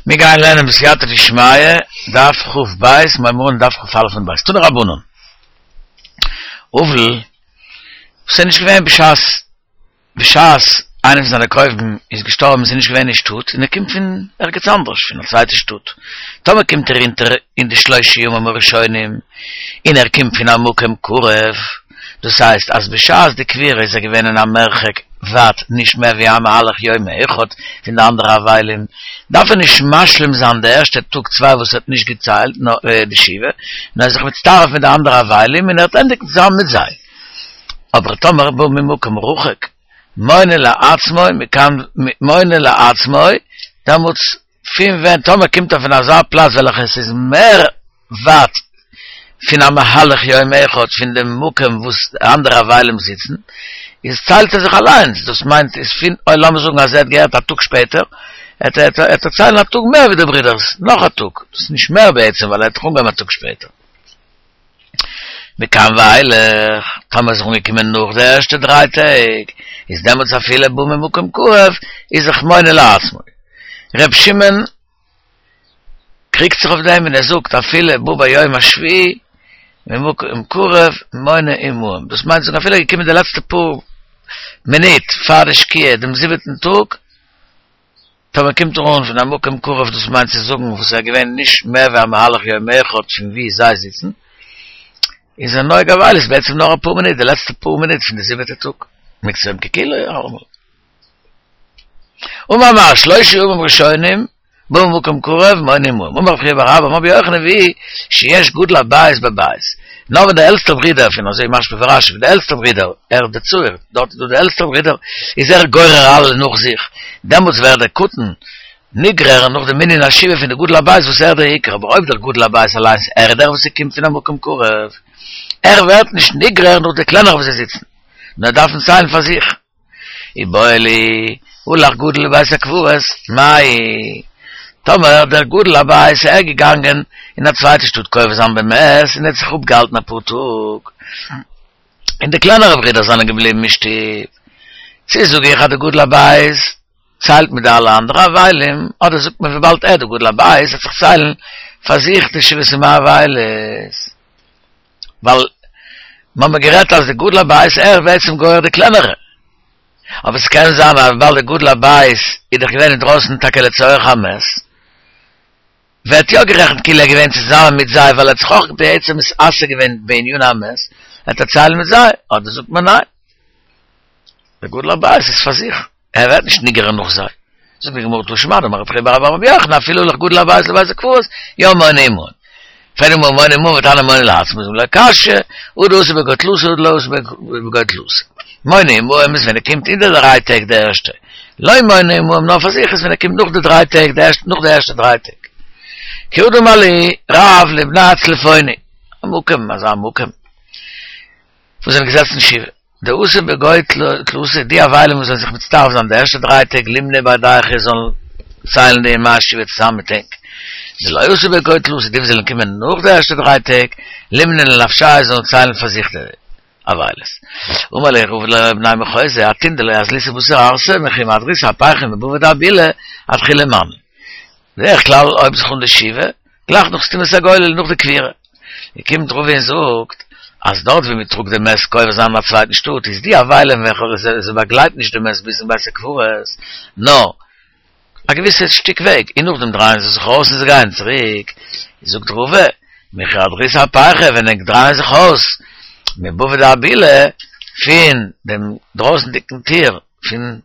מיר גייען לערנען בסייעתא דשמיא, דף כ"ב, מיר הייבן אן דף כ"א עמוד ב', תנו רבנן. אבל, וואס איז נישט געווען בשעת בשעת איינער פון זיינע קרובים איז געשטארבן איז ער נישט געווען אין שטאט און ער קומט פון ערגעץ אנדערש פון א צווייטע שטאט, טאמער קומט ער אונטער אין די שלושה ימים הראשונים און ער קומט פון א מקום קרוב, דאס הייסט אז בשעת די קבורה איז ער געווען אין א מרחק ווייט נישט מער ווי א מהלך יום אחד פון די אנדערע אבלים, דארף ער נישט משלים זיין די ערשטע טאג צוויי וואס ער האט נישט געציילט די שבעה, נאר ער איז זיך מצטרף מיט די אנדערע אבלים און ער וועט ענדיגן צוזאמען מיט זיי. אבער טאמער בא ממקום רחוק מונה לעצמו מכאן מונה לעצמו, דעמאלטס פון ווען טאמער קומט ער פון אזא פלאץ וועלכע עס איז מער ווייט פון א מהלך יום אחד פון דעם מקום וואס די אנדערע אבלים זיצן, איז ציילט ער זיך אליינס, דאס מיינט איז פון אוי לאמיר זאגן אז ער האט געהערט א טאג שפעטער, עט ער עט ער ציילן א טאג מער ווי די ברידערס, נאך א טאג, דאס איז נישט מער בעצם ווייל ער האט דאך אנגעהויבן א טאג שפעטער. מכאן ואילך, טאמער איז ער אנגעקומען נאך די ערשטע דריי טעג, איז דעמאלטס אפילו בא ממקום קרוב, איז זיך מונה לעצמו. ר' שמעון קריגט זיך אויף דעם און ער זאגט אפילו בא ביום השביעי ממקום קרוב מונה עמהם, דאס מיינט זאגן אפילו ער איז געקומען די לעצטע פאר מינוט פאר די שקיעה דעם זיבעטן טאג, טאמער קומט ער אן פון א מקום קרוב דאס מיינט צו זאגן וואס איז געווען נישט מער ווי א מהלך יום אחד פון ווי זיי זיצן, איז ער נוהג אבילות בעצם נאר אפאר מינוט די לעצטע פאר מינוט פון די זיבעטע טאג, מקצת היום ככולו אלעמאל. אמר מר שלושה ימים ראשונים בא ממקום קרוב מונה עמהם אמר רב חייא בר אבא אמר רבי יוחנן והוא שיש גדול הבית בבית נאר ווען דער עלטסטער ברודער פון אזוי משמע פון רשי ווען דער עלטסטער ברודער ער דער צעיר דארט איז דא דער עלטסטער ברודער איז ער גורר אלע נאך זיך דעמאלטס ווערט דער קטן נגרר נאך די מנין השבעה פון די גדול הבית וואס ער דער עיקר אבער אויב דער גדול הבית אליינס ער איז דער וואס ער קומט פון א מקום קרוב ער ווערט נישט נגרר נאך די קלענערע וואס זיי זיצן נאר דארפן ציילן פאר זיך. איבעיא להו, הלך גדול לבית הקברות, מאי? טאמער דער גדול הבית איז ער געגאנגען אין א צווייטע שטאט קובר זיין במת און ער האט זיך אפגעהאלטן אפאר טאג, און די קלענערע ברידער זענען געבליבן אין שטוב, צו זאג איך אז דער גדול הבית ציילט מיט די אלע אנדערע אבלים, אדער זאגט מען וויבאלד ער דער גדול הבית וועט זיך ציילן פאר זיך די שבעת ימי אבילות. ווייל מ'האמיר גערעדט אז די גדול הבית ער איז בעצם גורר די קלענערע, אבער ס'קען זיין אז וויבאלד די גדול הבית איז דאך געווען אינדרויסן טאקע לצורך המת, ווערט יא גערעכנט כאילו ער איז געווען צוזאמען מיט זיי ווייל ער האט זיך אויך בעצם מתעסק געווען בענין המת, וועט ער ציילן מיט זיי, אדער זאגט מען ניין, די גדול הבית איז פאר זיך. ער ווערט נישט נגרר נאך זיי. זאגט די גמרא תא שמע דאמר רב חייא בר אבא אמר רבי יוחנן אפילו הלך גדול הבית לבית הקברות יא מונה עמהן. פרעגט די גמרא מונה עמהן והתניא מונה לעצמו לא קשיא הא דאתא בגו תלתא הא דלא אתא בגו תלתא. מונה עמהם איז ווען ער קומט אין די דריי טעג די ערשטע. לא מונה עמהם נאר פאר זיך איז ווען ער קומט נאך די דריי טעג די ערשטע נאך די ערשטע דריי טעג. כי הא דאמר להו רב לבני צלפוני א מקום אזא מקום וואס זענען געזעצן שבעה. דאתו בגו תלתא, די אבלים וואס זענען זיך מצטרף זיין די ערשטע דריי טעג לימנו בהדייכו זאלן ציילן די ימי השבעה צוזאמען מיט ענק. דלא אתו בגו תלתא, די וואס זענען געקומען נאך די ערשטע דריי טעג, לימנו לנפשייהו זאלן ציילן פאר זיך די אבילות. אמר להו רבא לבני מחוזא, אתון דלא אזליתו בתר ערסא, מכי מהדריתו אפייכו מבבא דאבילה אתחילו מני. בדרך כלל הויבט זיך אן די שבעה, גלייך נאך סתימת הגולל, נאך די קבורה. און קומט רבא און זאגט, אז דארט ווי מען טראגט די מת קובר זיין אין א צווייטן שטאט, איז די אבלים וועלכע זיי באגלייטן נישט די מת ביזן בית הקברות, נאר א געוויסע שטיק וועג, און נאכדעם דרייען זיי זיך אויס און זיי גייען צוריק, זאגט רבא, מכי הדריתו אפייכו ווען ענק דרייען זיך אויס מבבא דאבילה פון דעם דרויסנדיגן טיר פון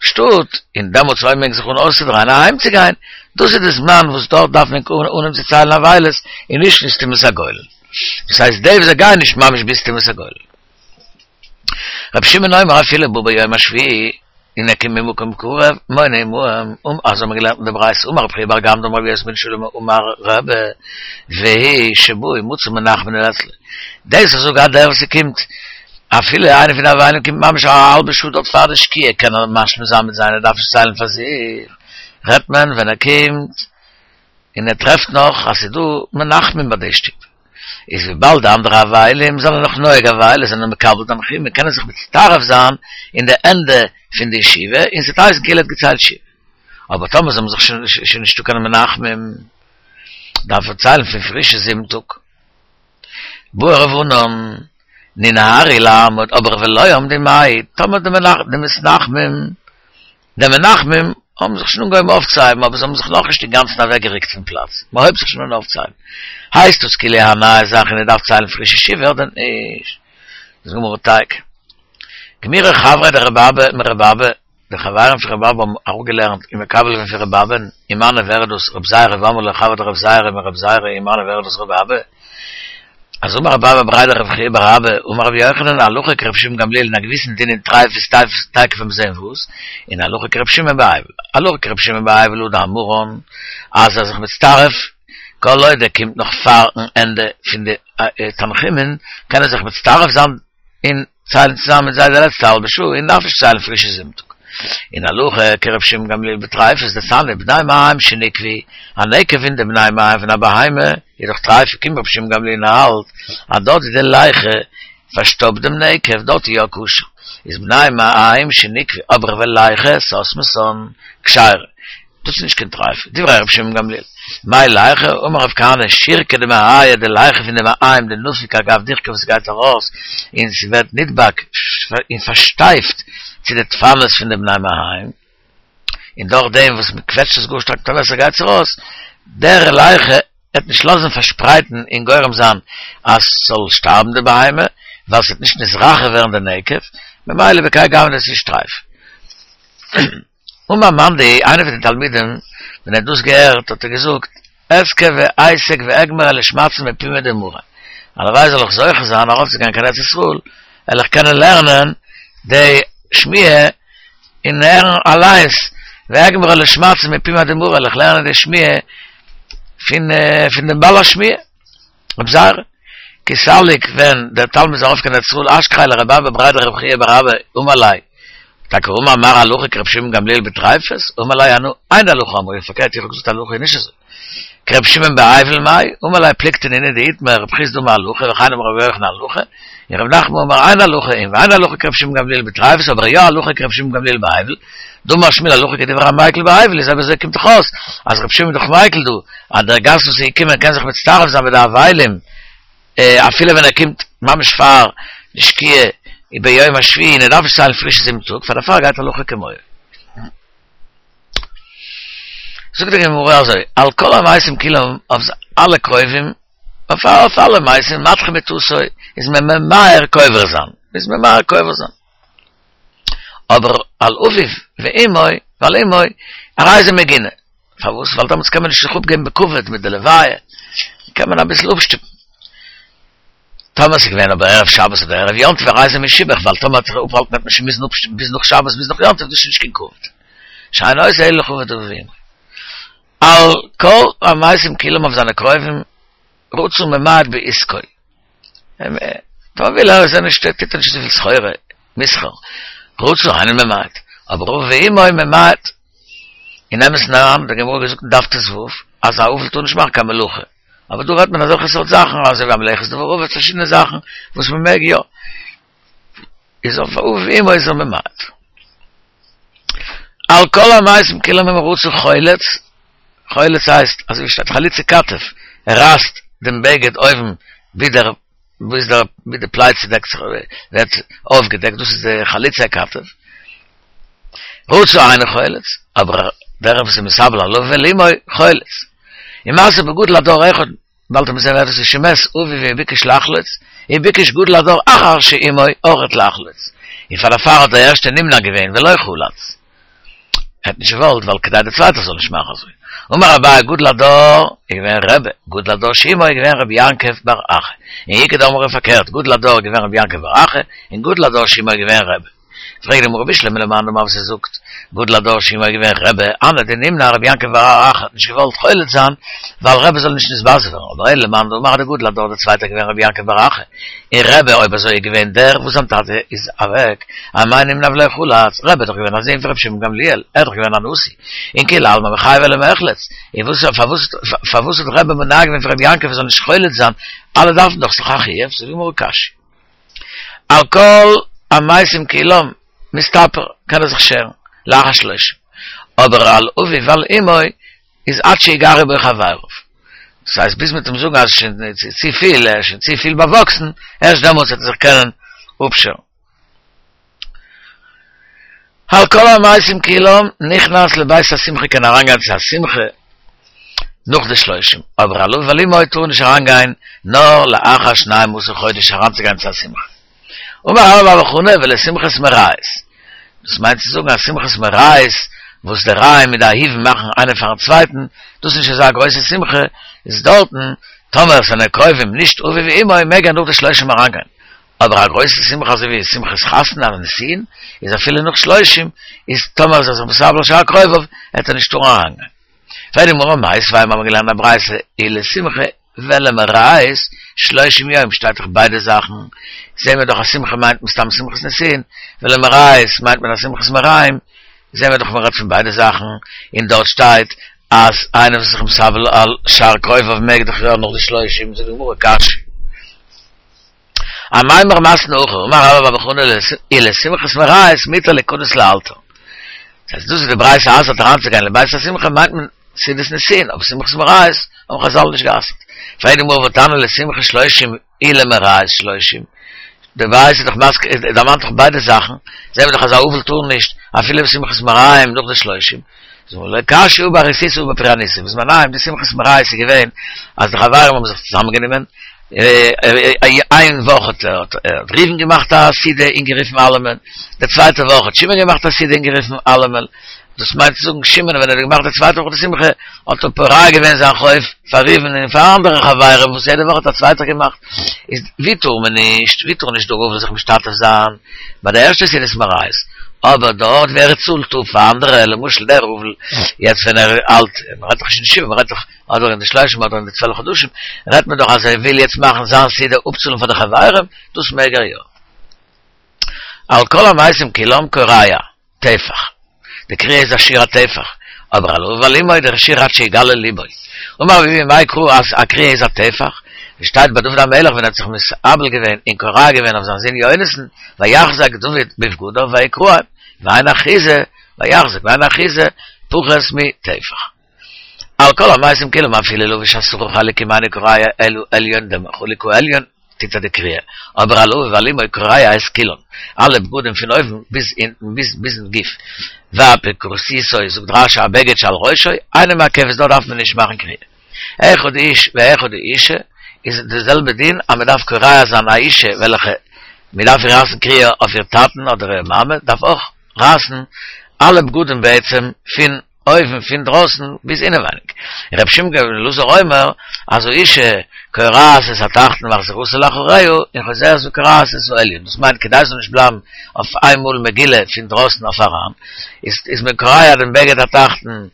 שטאט, און דעמאלטס הויבן ענק זיך אן אויסצודרייען אהיימצוגיין, דאס איז די זמן וואס דארט דארף מען אנהויבן צו ציילן אבילות און נישט אין סתימת הגולל. דאס הייסט די וואס זיי גייען נישט ממש ביז סתימת הגולל. רבי שמעון אומר אפילו בא ביום השביעי און ער קומט ממקום קרוב מונה עמהם, אזוי האט מען געלערנט אין די ברייתא, אמר רבי חייא בר גמדא אמר רבי יוסי בן שלום אמר רבי והוא שבא ומצא מנחמין אצלו, דאס אז זאגאר דער וואס ס'קומט אפילו איינער פון די אבלים קומט ממש א האלבע שעה דארט פאר די שקיעה קען ער משלים זיין מיט זיי און ער דארף נישט ציילן פאר זיך, רעדט מען ווען ער קומט און ער טרעפט נאך אז ס'איז דא מנחמים ביי די שטוב, איז וויבאלד די אנדערע אבלים זענען נאך נוהג אבילות זענען מקבל תנחומין קען ער זיך מצטרף זיין אין די ענדע פון די שבעה און ס'וועט הייסן כאילו ער האט געציילט שבעה. אבער טאמער זיי האבן זיך שוין שוין נישטא קיין מנחמים, דארף ער ציילן פון פרישע זיבן טאג. בעי רב ענן, ננהרו לעמוד, אבער ולא עמדו מאי, טאמער די מתנחמים, די מנחמים האבן זיך שוין אנגעהויבן אויפצוהייבן אבער זיי האבן זיך נאכנישט אינגאנצן אוועקגערוקט פון פלאץ, מען הויבט זיך שוין אן אויפצוהייבן, הייסט דאס כאילו א נייע זאך און ער דארף ציילן פרישע שבעה אדער נישט? זאגט די גמרא תיקו. גמירי חברי דרבי אבא מרבי אבא, די חברים פון רבי אבא האבן אראפגעלערנט און מקבל געווען פון רבי אבא'ן, ומנו ווער איז דאס רב זירא ואמרי לה חברי דרב זירא מרב זירא ומנו ווער איז דאס רבי אבא? אז אמר רב אבא בריה דרב חייא בר אבא אמר רבי יוחנן הלכה כרבי שמעון גמליאל אין א געוויסן דין אין טריפות תיכף וועט מען זעהן וואס, און הלכה כרבי שמעון באבל, הלכה כרבי שמעון באבל הוא דאמרן אז ער זיך מצטרף כל עוד ער קומט נאך פארן ענדע פון די תנחומין קען ער זיך מצטרף זיין און ציילן צוזאמען מיט זיי די לעצטע האלבע שעה און דארף נישט ציילן פרישע זיבן טאג. און הלכה כר' שמעון גמליאל בטריפות דתניא בני מעיים שניקבו, א נקב אין די בני מעיים פון א בהמה איז דאך טרייף קומט ר' שמעון גמליאל און האלט אז דארט ווי די ליחה פארשטאפט דעם נקב דארט איז יא כשר איז בני מעיים שניקבו אבער וליחה סתמתן כשרה דאס איז נישט קיין טרייף, דברי רבי שמעון גמליאל. מאי ליחה, אמר רב כהנא, שירקא דמעייא, די ליחה פון די מעיים דנפיק אגב דיחקא וואס גייט ארויס און ס'ווערט נדבק און פארשטייפט צו די דפנות פון די בני מעיים, און דורך דעם וואס מ'קוועטשט עס גאר שטארק מיט א מעסער גייט עס ארויס, דער ליחה וועט נישט לאזן פארשפרייטן און גורם זיין אז ס'זאל שטארבן די בהמה, ווייל ס'וועט נישט נתרחב ווערן די נקב, ממילא בכהאי גוונא איז נישט טרייף. אמר מאן דהוא, איינער פון די תלמידים, ווען ער האט דאס געהערט האט ער געזאגט, אזכה ואיסק ואגמרה לשמעתין מפומיה דמרא, הלוואי זאל איך זוכה זיין ארויפצוגיין קיין ארץ ישראל, וועל איך קענען לערנען די שמועה און הערן אליינס, ואגמרה לשמעתין מפומיה דמרא, וועל איך לערנען די שמועה פון פון דעם בעל השמועה. רב זירא, כי סליק ווען דער תלמיד איז ארויף קיין ארץ ישראל אשכחיה לרבי אבא בריה דרב חייא בר אבא אמר ליה, טאקע אמר מר הלכה כרבי שמעון גמליאל בטריפות, אמר ליה אנא אין הלכה אמרי, פארקערט איך האב געזאגט הלכה איז נישט אזוי, כרבי שמעון באבל מאי, אמר ליה פלוגתא נינהו דאיתמר רב חסדא אמר הלכה וכן אמר רבי יוחנן הלכה, און רב נחמן אמר אין הלכה און ואין הלכה כרבי שמעון גמליאל בטריפות אבער יא הלכה כרבי שמעון גמליאל באבל, דאמר שמואל הלכה כדברי המיקל באבל איז אויב אזוי קומט דאך אויס אז רבי שמעון איז דאך מיקל דא אז דער גאסט וואס איז געקומען קען זיך מצטרף זיין מיט די אבלים אפילו ווען ער קומט ממש פאר די שקיעה ביום השביעי און ער דארף נישט ציילן פרישע זיבן טאג פאר דערפאר גייט הלכה כמוהו. זאגט די גמרא אזוי על כל המתים כולם אויף אלע קרובים אויף אלע מתים מדחה מטתו איז מען ממהר קובר זיין איז ממהר קובר זיין. אבער על אביו ואמו ועל אמו הרי זה מגונה. פארוואס? ווייל דעמאלטס קען מען נישט זיך אפגעבן בכבוד מיט די לוויה, קען מען אביסל אפשטופן. טאמער ס'איז געווען אבער ערב שבת אדער ערב יום טוב הרי זה משובח, ווייל טאמער האט זיך אפהאלטן וועט מען שוין מוזן אפשטופן ביז נאך שבת ביז נאך יום טוב, דאס איז נישט קיין כבוד. שאין עושה אלא לכבוד אביו ואמו. על כל המתים כולם אויף זיינע קרובים רצה ממעט בעסקו. טאמער וויל ער איז ער נישט טוט ער נישט אזויפיל סחורה, מסחר. רצה אינו ממעט. אבער אביו ואמו ממעט. אין אמת'ן אריין האט די גמרא געזאגט אין דף ט"ו אז א אבל טאר נישט מאכן קיין מלאכה. אבער דא רעדט מען אזעלכע סארט זאכן אזוי ווי א מלאכת דבר אבד פארשידענע זאכן וואס מען מעג יא. איז אויף אביו ואמו איז ער ממעט. על כל המתים כולם אם רצה חולץ, חולץ הייסט אזוי ווי שטייט חליצה כתף, ער רייסט דעם בגד אויבן ווי דער ווי דער ווי די פלייצע דעקט זיך ווערט אויפגעדעקט דאס איז די חליצה כתף. רצה אינו חולץ, אבער דער וואס איז מתאבל על אביו ועל אמו חולץ. ומעשה בגדול הדור אחד באלד וועט מען זען ווער דאס איז שמת אביו וביקש לחלוץ, וביקש גדול הדור אחר שאמו אורכת לחלוץ, און פאר דערפאר האט דער ערשטער נמנע געווען ולא חלץ, ער האט נישט געוואלט ווייל כדי דער צווייטער זאל נישט מאכן אזוי, אמר אביי גדול הדור איז געווען רבי, גדול הדור שאמו איז געווען רבי יעקב בר אחא, און איכא דאמרי פארקערט גדול הדור איז געווען רבי יעקב בר אחא, און גדול הדור שאמו איז געווען רבי. פרעגט די גמרא בשלמא למאן דאמר וואס ער זאגט גדול הדור שאמו איז געווען רבי הני דנימנע רבי יעקב בר אחא האט נישט געוואלט חולץ זיין ווייל רבי זאל נישט נתבזה ווערן אבער אלא למאן דאמר דגדול הדור דער צווייטער געווען רבי יעקב בר אחא און רבי אויב אזוי איז געווען דער וואס זיין טאטע איז אוועק אמאי נימנע ולא חלץ רבי איז דאך געווען א זון פון רבי שמעון גמליאל ער איז דאך געווען א נשיא און כולי עלמא מיחייבי למיחלץ און וואס פארוואס פארוואס האט רבי מונע געווען פון רבי יעקב ער זאל נישט חולץ זיין אלע דארפן דאך ס'איז דאך א חיוב זאגט די גמרא קשיא. על כל המתים כולם מסתפר, קען ער זיך שערן, לאחר שלושים. אבער על אביו ועל אמו איז עד שיגרו בו חבריו. דאס הייסט ביז מ'וועט אים זאגן אז שוין צופיל, ער איז שוין צופיל באוואקסן, ערשט דעמאלטס וועט ער זיך קענען אפשערן. על כל המתים כולם נכנס לבית השמחה קען אריינגיין צו א שמחה נאך די שלושים, אבער על אביו ועל אמו טאר נישט אריינגיין נאר לאחר שנים עשר חודש אריינצוגיין צו א שמחה. אמר רבה בר בר חנה ולשמחת מראות, דאס מיינט צו זאגן אז שמחת מראות וואס די רעים מיט די אהובים מאכן איינער פארן צווייטן, דאס איז נישט אזא גרויסע שמחה, איז דארטן טאמער עס זענען קרובים נישט אביו ואמו מעג ער נאך די שלושים אריינגיין, אבער א גרויסע שמחה אזוי ווי שמחת חתונה אדער נישואין איז אפילו נאך שלושים איז טאמער איז ער זיך מתאבל על שאר קרוביו וועט ער נישט טארן אריינגיין. פרעגט די גמרא מיתיבי מיר האבן געלערנט א ברייתא ולשמחה ולמראות שלושים יום שטייט דאך ביידע זאכן זעהן מיר דאך אז שמחה מיינט מסתם שמחת נישואין ולמראות מיינט מען א שמחת מרעים זעהן מיר דאך מ'רעדט פון ביידע זאכן און דארט שטייט אז איינער וואס איז זיך מתאבל על שאר קרוביו מעג דאך יא נאך די שלושים זאגט די גמרא קשיא. אמימר מתני הכי, אמר רבה בר בר חנה ולשמחת מראות מותר ליכנס לאלתר. דאס הייסט דאס וואס די ברייתא אסר'ט אריינצוגיין לבית השמחה מיינט מען סעודת נישואין, אבער שמחת מראות האבן חזל נישט גע'אסר'ט. פרעגט די גמרא והתניא לשמחה שלושים ולמראות שלושים, די ברייתא איז דאך מזכיר דערמאנט דאך ביידע זאכן, זעהן מיר דאך אז א אבל טאר נישט אפילו בשמחת מרעים נאך די שלושים. זאגט לא קשיא הא באריסותא הא בפורענותא, בזמניהם די שמחת מראות איז געווען אז די חברים האבן זיך צוזאמען גענומען, איין וואך האט ראובן געמאכט א סעודה און גערופן אלעמען, די צווייטע וואך האט שמעון געמאכט א סעודה און גערופן אלעמען, דאס מיינט צו זאגן שמעון ווען ער האט געמאכט די צווייטע וואך די שמחה האט ער פורע געווען זיין חוב פאר ראובן און פאר אנדערע חברים וואס יעדע וואך האט א צווייטער געמאכט, איז ווי טאר מען נישט, ווי טאר נישט דער אבל זיך משתתף זיין ביי די ערשטע סעודת מראות, אבער דארט ווי ער צאלט אפ פאר אנדערע, למשל דער אבל יעצט ווען ער האלט, מען רעדט דאך נישט אין די שבעה, מען רעדט דאך אדער אין די שלושים אדער אין די צוועלף חדשים, רעדט מען דאך אז ער וויל יעצט מאכן זיין סעודה אפצאלן פאר די חברים, דאס מעג ער יא. על כל המתים כולם קורע טפח, די קריעה איז א שיעור א טפח, אבער על אביו ועל אמו דער שיעור עד שיגלה ליבו. אמר רבי אבהו מאי קרא אז א קריעה איז א טפח, ווי שטייט ביי דוד המלך ווען ער האט זיך מתאבל געווען און קורע געווען אויף זיין זון יונתן, ויחזק דוד בבגדיו ויקרעם, ואין אחיזה, ויחזק ואין אחיזה פחות מטפח. על כל המתים כולם אפילו לבש עשרה חלוקים אינו קורע אלא עליון דעם חלוק העליון טוט ער די קריעה, אבער על אביו ועל אמו קורע את כולן, אלע בגדים פון אויבן ביז אונטן ביז ביזן גוף, ואפיקורסיתו זאגט רשי הבגד שעל ראשו, אינה מעכבת דארט דארף מען נישט מאכן קריעה. אחד האיש ואחד האישה איז די זעלבע דין אז מען דארף קורע זיין א אישה וועלכע מען דארף איר רייסן קריעה אויף איר טאטן אדער איר מאמע דארף אויך רייסן אלע בגדים בעצם פון אויבן פון דרויסן ביז אינעווייניג. ר' שמעון בן אלעזר אומר אז האישה קורעת את התחתון ומחזירתו לאחוריה און חוזרת וקורעת את העליון דאס מיינט כדי ס'זאל נישט בלייבן אויף איינמאל מגולה פון דרויסן אויף אריין איז איז מען קורע דעם בגד התחתון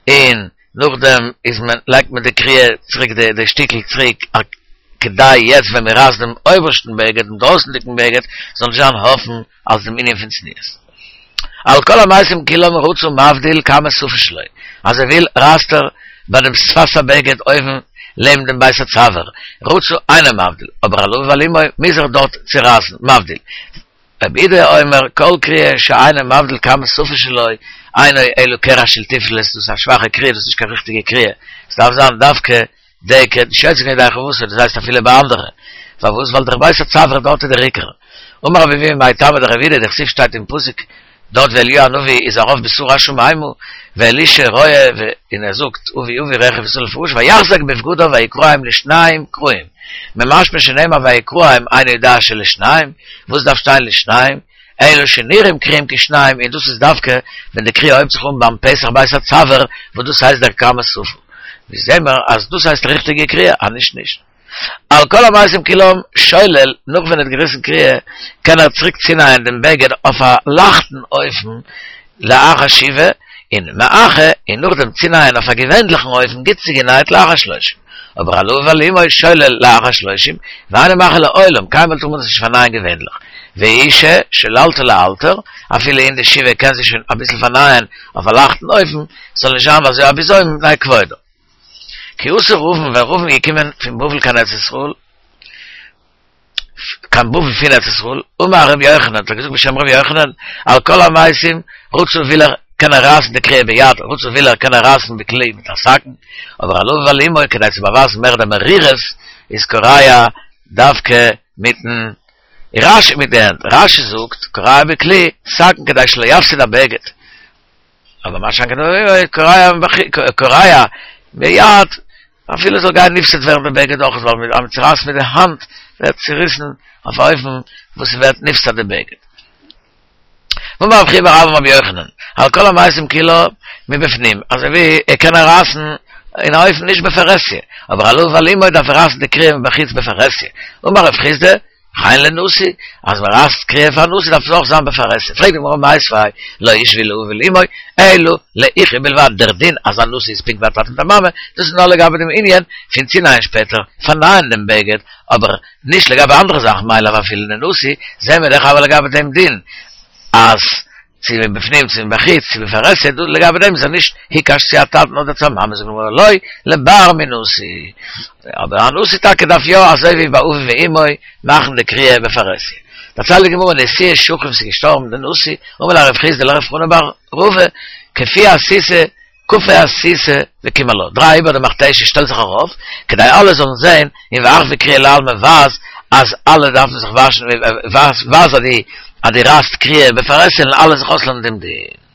און נאכדעם איז מען לייגט מען די קריעה צוריק די די שטיקל צוריק כדי יעצט ווען מען רייסט דעם אויבערשטן בגד דעם דרויסנדיגן בגד זאל נישט זיין אפן אלס דעם ענין פון צניעות. על כל המתים כולם רצה מבדיל כמה שפה שלו, אז ער וויל רייסט ער ביי דעם שפת הבגד אויבן לעבן דעם בית הצוואר, רצה אינו מבדיל, אבער על אביו ועל אמו מוז ער דארט צורייסן, מבדיל. רבי יהודה אומר כל קריעה שאינו מבדיל כמה שפה שלו, אינו אלא קרע של תפלת, דאס איז א שוואכע קריעה, דאס איז נישט קיין ריכטיגע קריעה, עס דארף זיין דווקא דייקא, נישט יוצא געווען ידי חובתו, דאס הייסט אפילו ביי אנדערע. פארוואס? ווייל דער בית הצוואר דארט איז דער עיקר. אמר רבי אבהו מאי טעמא דרבי יהודה דכתיב שטייט אין פסוק דארט ווי אליהו הנביא איז ארויף בסערה השמימה ואלישע רואה און ער זאגט אבי אבי רכב ישראל ופרשיו ויחזק בבגדיו ויקרעם לשניים קרועים ממשמע שנאמר ויקרעם אינו יודע שלשניים וואס דארף שטיין לשניים? אלא שנראים קרועים כשניים און דאס איז דווקא ווען די קריעה הויבט זיך אן ביים פתח בית הצוואר וואס דאס הייסט דער כמה שפה ווי זעהן מיר אז דאס הייסט ריכטיגע קריעה אז נישט נישט. על כל המתים כולם שולל נאך ווען ער האט געריסן קריעה קען ער צוריק צונייען דעם בגד אויף א לייכטן אופן לאחר שבעה און מאחה און נאכדעם צונייען אויף א געווענליכן אופן גוט צוגענייט לאחר שלושים אבער על אביו ועל אמו שולל לאחר שלושים ואינו מאחה לעולם קיינמאל טאר מען דאס נישט פארנייען געווענליך ואישה שוללתה לאלתר אפילו אין די שבעה קען זי שוין אביסל פארנייען אויף א לייכטן אופן ס'זאל נישט זיין אזוי א בזיון מפני כבודה. כי אתא רבין ווען רבין איז געקומען פון בבל קיין ארץ ישראל, קיין בבל פון ארץ ישראל, אמר רבי יוחנן, האט ער געזאגט בשם רבי יוחנן, על כל המתים רצה וויל ער. קען ער רייסן די קריעה ביד, רצה וויל ער קען ער רייסן בכלי מיט א סכין, אבער על אביו ועל אמו כדי צו באווייזן מער די מרירות איז קורע דווקא מיטן רש"י מיט די הענט, רש"י זאגט קורע בכלי סכין כדי שלא יפסיד הבגד, אבער מה שאין כן קורע קורע ביד אפילו זאל גיין נפסד ווערן די בגד אויך ווייל אז מען צורייסט מיט די האנט ווערט צוריסן אויף א אופן וואס ס'ווערט נפסד די בגד. ואמר רב חייא בר אבא אמר רבי יוחנן, על כל המעשים כולן מבפנים, אזוי ווי ער קען רייסן אין א אופן נישט בפרהסיא, אבער על אביו ועל אמו דארף ער רייסן די קריעה מבחוץ בפרהסיא. אמר רב חסדא, וכן לנשיא, אז מען רייסט קריעה פאר נשיא דארף עס אויך זיין בפרהסיא. פרעגט די גמרא מיתיבי, לא הושוו לאביו ולאמו, אלא לאחו בלבד, דער דין אז א נשיא איז פונקט ווי א טאטע מיט א מאמע, דאס איז נאר לגבי דעם ענין פון צונייען שפעטער, פארנייען דעם בגד, אבער נישט לגבי אנדערע זאכן מאי לאו אפילו לנשיא, זעהן מיר דאך אבער לגבי דעם דין אז צו מבפנים צו מבחוץ צו בפרהסיא, דא לגבי דעם איז ער נישט הוקש צו א טאטן אדער צו א מאמע, זאגט די גמרא לא לבר מנשיא, אבער א נשיא טאקע דארף יא אזוי ווי ביי אביו ואמו מאכן די קריעה בפרהסיא. דערציילט די גמרא נשיאה שכיב ס'איז געשטארבן די נשיא, אמר ליה רב חסדא לרב חנא בר רבא כפו אסיתא כפו אסיתא וקים עלה, דריי איבער די מכתשת שטעל זיך ארויף, כדי אלע זאלן זען, און ואחוי קריעה לעלמא ווייז אז אלע דארפן זיך וואשן, ווייז אז דו רייסט קריעה בפרהסיא און אלע זיך אויסלערנען דעם דין.